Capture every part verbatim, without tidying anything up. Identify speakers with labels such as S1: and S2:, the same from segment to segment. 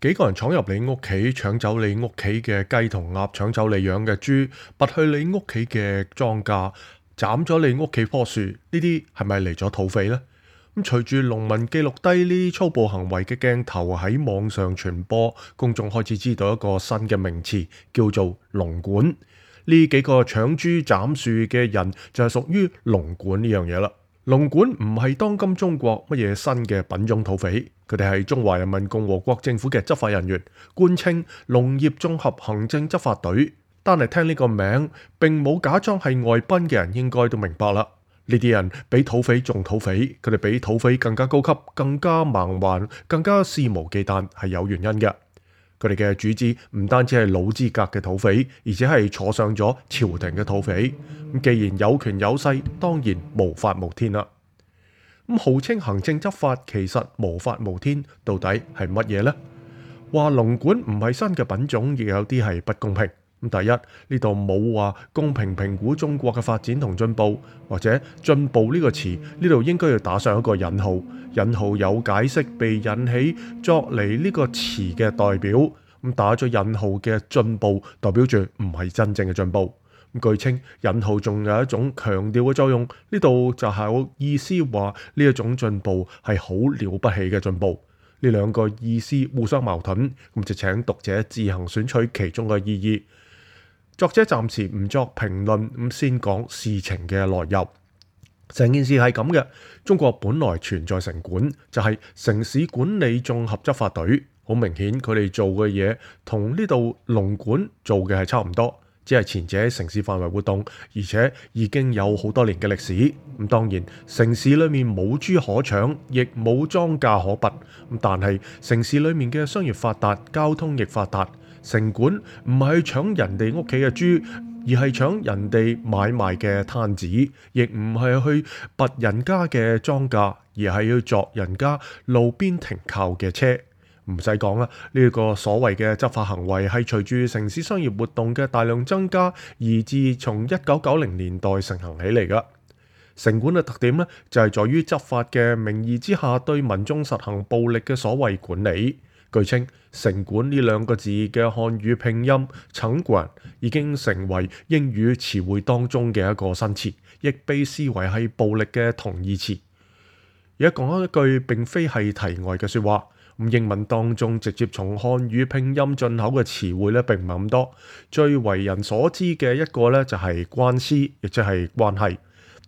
S1: 幾個人闖入你屋企，搶走你屋企嘅雞同鴨，搶走你養嘅豬，拔去你屋企嘅莊稼，斬咗你屋企棵樹，呢啲係咪嚟咗土匪呢？咁隨住農民記錄低呢啲粗暴行為嘅鏡頭喺網上傳播，公眾開始知道一個新嘅名詞，叫做農管。呢幾個搶豬斬樹嘅人就係屬於農管呢樣嘢啦。農管唔係當今中國乜嘢新嘅品種土匪，佢哋係中華人民共和國政府嘅執法人員，官稱農業綜合行政執法隊。單係聽呢個名，並冇假裝係外賓嘅人應該都明白啦。呢啲人比土匪仲土匪，佢哋比土匪更加高級，更加蠻橫，更加肆無忌憚，係有原因嘅。佢哋嘅主子唔單止係老資格嘅土匪，而且係坐上咗朝廷嘅土匪。咁既然有權有勢，當然無法無天啦。咁號稱行政執法，其實無法無天，到底係乜嘢呢？話農管唔係新嘅品種，亦有啲係不公平。咁第一，呢度冇話公平評估中國嘅發展同進步，或者進步呢個詞，呢度應該要打上一個引號。引號有解釋被引起作嚟呢個詞嘅代表，咁打咗引號嘅進步代表住唔係真正嘅進步。咁據稱引號仲有一種強調嘅作用，呢度就係有意思話呢一種進步係好了不起嘅進步。呢兩個意思互相矛盾，咁就請讀者自行選取其中嘅意義。作者暫時唔作評論，咁先講事情嘅來由。成件事係咁嘅，中國本來存在城管，就係城市管理綜合執法隊。好明顯，佢哋做嘅嘢同呢度農管做嘅係差唔多，只係前者喺城市範圍活動，而且已經有好多年嘅歷史。咁當然，城市裏面冇豬可搶，亦冇莊稼可拔。咁但係城市裏面嘅商業發達，交通亦發達。城管唔係去搶人哋屋企嘅豬，而係搶人哋買賣嘅攤子，亦唔係去拔人家嘅莊稼，而係要鑿人家路邊停靠嘅車。唔使講啦，呢個所謂嘅執法行為係隨住城市商業活動嘅大量增加，而自從一九九零年代盛行起嚟噶。城管嘅特點呢，就係在於執法嘅名義之下，對民眾實行暴力嘅所謂管理。據稱，城管呢兩個字嘅漢語拼音城管已經成為英語詞彙當中嘅一個新詞，亦被視為係暴力嘅同義詞。而家講一句並非係題外嘅說話，咁英文當中直接從漢語拼音進口嘅詞彙咧並唔係咁多，最為人所知嘅一個咧就係關係，亦即係關係。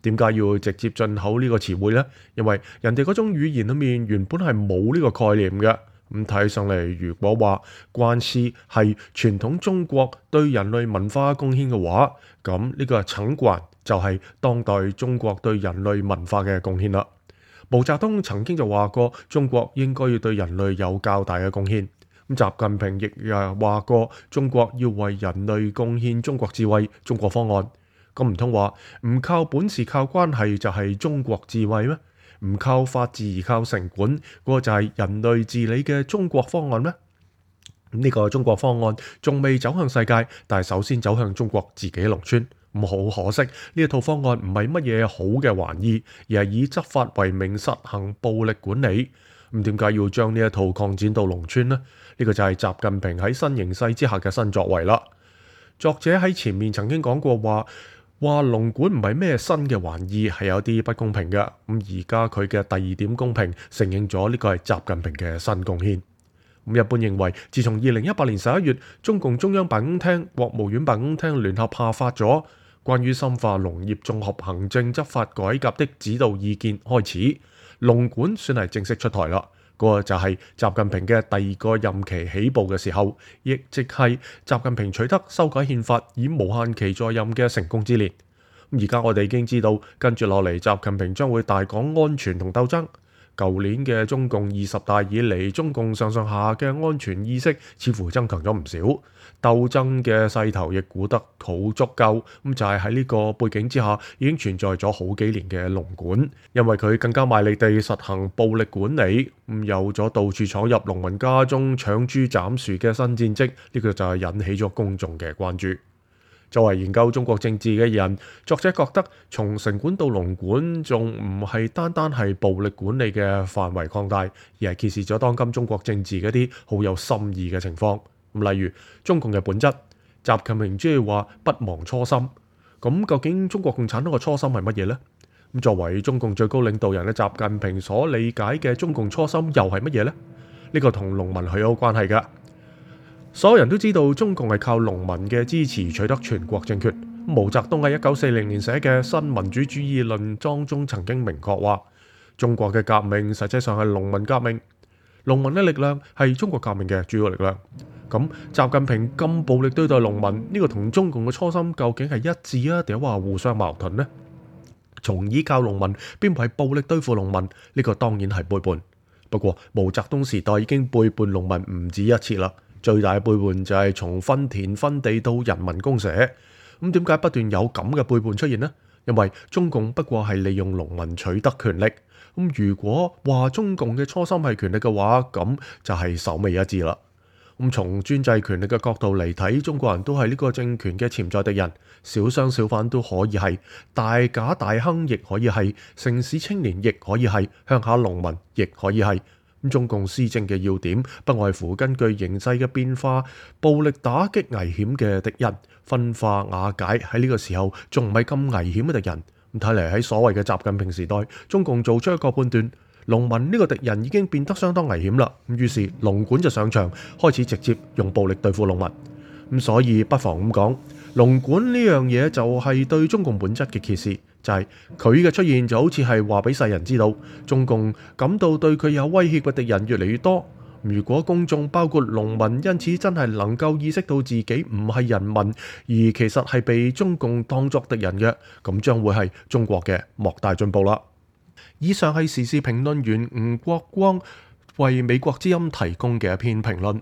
S1: 點解要直接進口呢個詞彙呢？因為人哋嗰種語言裏面原本係冇呢個概念嘅。咁睇上嚟，如果話關係係傳統中國對人類文化貢獻嘅話，咁呢個城管就係當代中國對人類文化嘅貢獻啦。毛澤東曾經就話過，中國應該要對人類有較大嘅貢獻。咁習近平亦誒話過，中國要為人類貢獻中國智慧、中國方案。咁唔通話唔靠本事靠關係就係中國智慧咩？唔靠法治而靠城管，嗰、那個就係人類治理嘅中國方案咩？呢、這個中國方案仲未走向世界，但係首先走向中國自己農村。咁好可惜，呢一套方案唔係乜嘢好嘅玩意，而係以執法為名實行暴力管理。咁點解要將呢一套擴展到農村呢？呢、這個就係習近平喺新形勢之下嘅新作為啦。作者喺前面曾經講過話。話農管唔係咩新嘅玩意，係有啲不公平嘅。咁而家佢嘅第二點公平，承認咗呢個係習近平嘅新貢獻。咁一般認為，自從二零一八年十一月，中共中央辦公廳、國務院辦公廳聯合下發咗關於深化農業綜合行政執法改革的指導意見開始，農管算係正式出台啦。嗰個就係習近平嘅第二個任期起步嘅時候，亦即係習近平取得修改憲法以無限期在任嘅成功之年。而家我哋已經知道，跟住落嚟，習近平將會大講安全同鬥爭。舊年嘅中共二十大以嚟，中共上上下下嘅安全意識似乎增強咗唔少，鬥爭嘅勢頭亦估得好足夠。咁就係喺呢個背景之下，已經存在咗好幾年嘅農管，因為佢更加賣力地實行暴力管理，咁有咗到處闖入農民家中搶豬斬樹嘅新戰績，呢、這個就係引起咗公眾嘅關注。作為研究中國政治嘅人，作者覺得從城管到農管仲唔係單單係暴力管理嘅範圍擴大，而係揭示咗當今中國政治嗰啲好有深意嘅情況。例如中共嘅本質，習近平中意話不忘初心。咁究竟中國共產黨嘅初心係乜嘢呢？咁作為中共最高領導人嘅習近平所理解嘅中共初心又係乜嘢呢？呢個同農民係有關係㗎。所有人都知道中共係靠農民嘅支持取得全國政權。毛澤東喺一九四零年寫嘅《新民主主義論》當中曾經明確話，中國嘅革命實際上係農民革命，農民嘅力量係中國革命嘅主要力量。咁習近平咁暴力對待農民，呢個同中共嘅初心究竟係一致啊，定係話互相矛盾呢？從依靠農民邊係暴力對付農民，呢個當然係背叛。不過毛澤東時代已經背叛農民唔止一次啦。最大嘅背叛就係從分田分地到人民公社。咁點解不斷有咁嘅背叛出現呢？因為中共不過係利用農民取得權力。咁如果話中共嘅初心係權力嘅話，咁就係首尾一致啦。咁從專制權力嘅角度嚟睇，中國人都係呢個政權嘅潛在敵人，小商小販都可以係，大賈大亨亦可以係，城市青年亦可以係，鄉下農民亦可以係。中共施政嘅要點不外乎根據形勢嘅變化，暴力打擊危險嘅敵人，分化瓦解喺呢個時候仲唔係咁危險嘅敵人。咁睇嚟喺所謂嘅習近平時代，中共做出一個判斷，農民呢個敵人已經變得相當危險啦。咁於是農管就上場，開始直接用暴力對付農民。咁所以不妨咁講，農管呢樣嘢就係對中共本質嘅揭示。就係佢嘅出現就好似係話俾世人知道，中共感到對佢有威脅嘅敵人越嚟越多。如果公眾包括農民因此真係能夠意識到自己唔係人民，而其實係被中共當作敵人嘅，咁將會係中國嘅莫大進步啦。以上係時事評論員吳國光為美國之音提供嘅一篇評論。